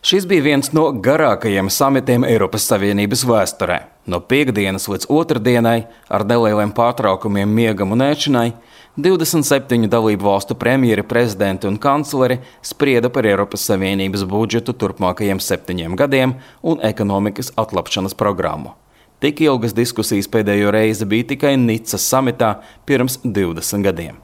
Šis bija viens no garākajiem samitiem Eiropas Savienības vēsturē. No piektdienas līdz otrdienai, ar nelieliem pārtraukumiem miegam un ēšanai, 27 dalību valstu premjeri, prezidenti un kancleri sprieda par Eiropas Savienības budžetu turpmākajiem 7 gadiem un ekonomikas atlapšanas programmu. Tik ilgas diskusijas pēdējo reizi bija tikai Nicas samitā pirms 20 gadiem.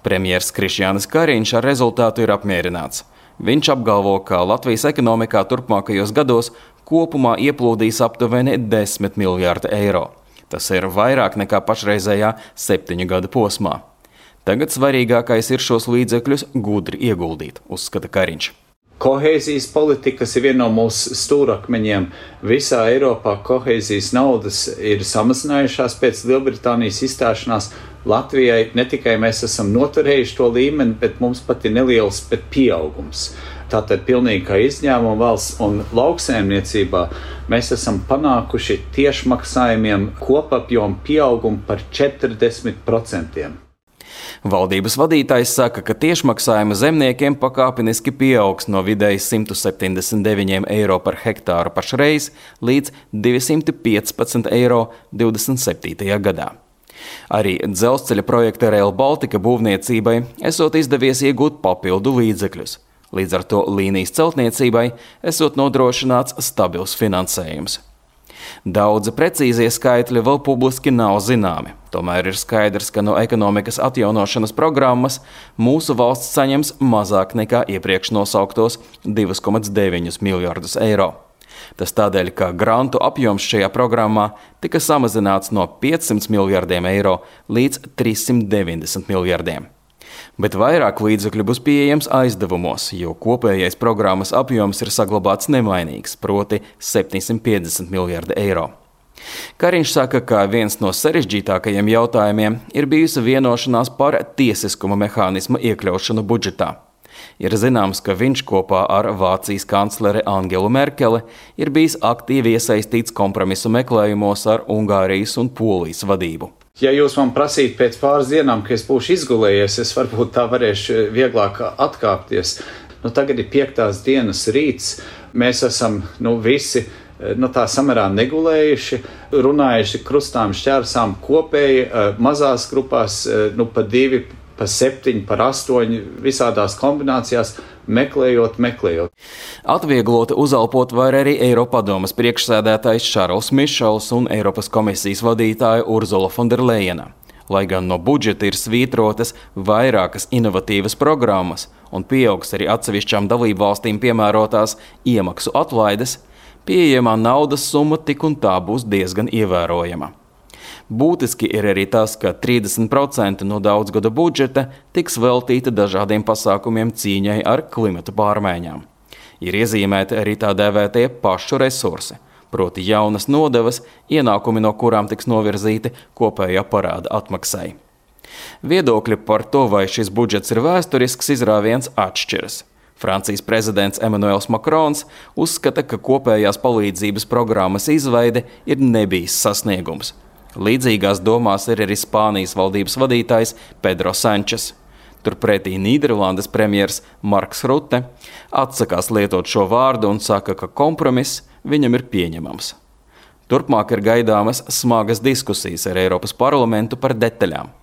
Premjers Krišjānis Kariņš ar rezultātu ir apmierināts. Viņš apgalvo, ka Latvijas ekonomikā turpmākajos gados kopumā ieplūdīs aptuveni 10 miljārdi eiro. Tas ir vairāk nekā pašreizējā 7 gadu posmā. Tagad svarīgākais ir šos līdzekļus gudri ieguldīt, uzskata Kariņš. Kohēzijas politikas ir viena no mūsu stūrakmeņiem. Visā Eiropā kohēzijas naudas ir samazinājušās pēc Lielbritānijas izstāšanās. Latvijai ne tikai mēs esam noturējuši to līmeni, bet mums pat ir neliels pieaugums. Tātad pilnīgi kā izņēmuma valsts un lauksaimniecībā mēs esam panākuši tiešmaksājumiem kopapjomu pieaugumu par 40%. Valdības vadītājs saka, ka tiešmaksājuma zemniekiem pakāpeniski pieaugs no vidēji 179 eiro par hektāru pašreiz līdz 215 eiro 27. gadā. Arī dzelzceļa projekta Rail Baltica būvniecībai esot izdevies iegūt papildu līdzekļus. Līdz ar to līnijas celtniecībai esot nodrošināts stabils finansējums. Daudzi precīzie skaitļi vēl publiski nav zināmi. Tomēr ir skaidrs, ka no ekonomikas atjaunošanas programmas mūsu valsts saņems mazāk nekā iepriekš nosauktos 2,9 miljardus eiro. Tas tādēļ, ka grantu apjoms šajā programmā tika samazināts no 500 miljardiem eiro līdz 390 miljardiem. Bet vairāk līdzekļu būs pieejams aizdevumos, jo kopējais programmas apjoms ir saglabāts nemainīgs, proti 750 miljardi eiro. Kariņš saka, ka viens no sarežģītākajiem jautājumiem ir bijusi vienošanās par tiesiskuma mehānismu iekļaušanu budžetā. Ir zināms, ka viņš kopā ar Vācijas kancleri Angelu Merkeli ir bijis aktīvi iesaistīts kompromisu meklējumos ar Ungārijas un Polijas vadību. Ja jūs man prasītu pēc pāris dienām, ka es būšu izgulējies, es varbūt tā varēšu vieglāk atkāpties. Tagad ir 5. dienas rīts, mēs esam visi tā samērā negulējuši, runājuši krustām šķērsām kopēji, mazās grupās, pa 2, pa 7, par 8, visādās kombinācijās, meklējot. Atviegloti uzelpot var arī Eiropadomes priekšsēdētājs Šarls Mišels un Eiropas komisijas vadītāja Urzula Fonderlejena. Lai gan no budžeta ir svītrotas vairākas inovatīvas programmas un pieaugs arī atsevišķām dalību valstīm piemērotās iemaksu atlaides, pieejamā naudas summa tik un tā būs diezgan ievērojama. Būtiski ir arī tas, ka 30% no daudzgada budžeta tiks veltīta dažādiem pasākumiem cīņai ar klimata pārmaiņām. Ir iezīmēti arī tā dēvētie pašu resursi, proti jaunas nodevas, ienākumi no kurām tiks novirzīti kopējā parāda atmaksai. Viedokļi par to, vai šis budžets ir vēsturisks izrāviens, atšķiras. Francijas prezidents Emmanuels Macrons uzskata, ka kopējās palīdzības programmas izveide ir nebijis sasniegums. Līdzīgās domās ir arī Spānijas valdības vadītājs Pedro Sančes. Turpretī Nīderlandes premjers Marks Rutte atsakās lietot šo vārdu un saka, ka kompromiss viņam ir pieņemams. Turpmāk ir gaidāmas smagas diskusijas ar Eiropas parlamentu par detaļām.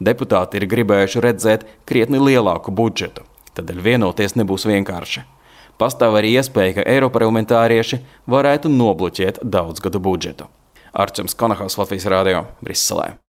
Deputāti ir gribējuši redzēt krietni lielāku budžetu, tādēļ vienoties nebūs vienkārši. Pastāv arī iespēja, ka eiroparlamentārieši varētu nobloķēt daudzgadu budžetu. Arčuns Konahaus, Latvijas Rādio, Briselē.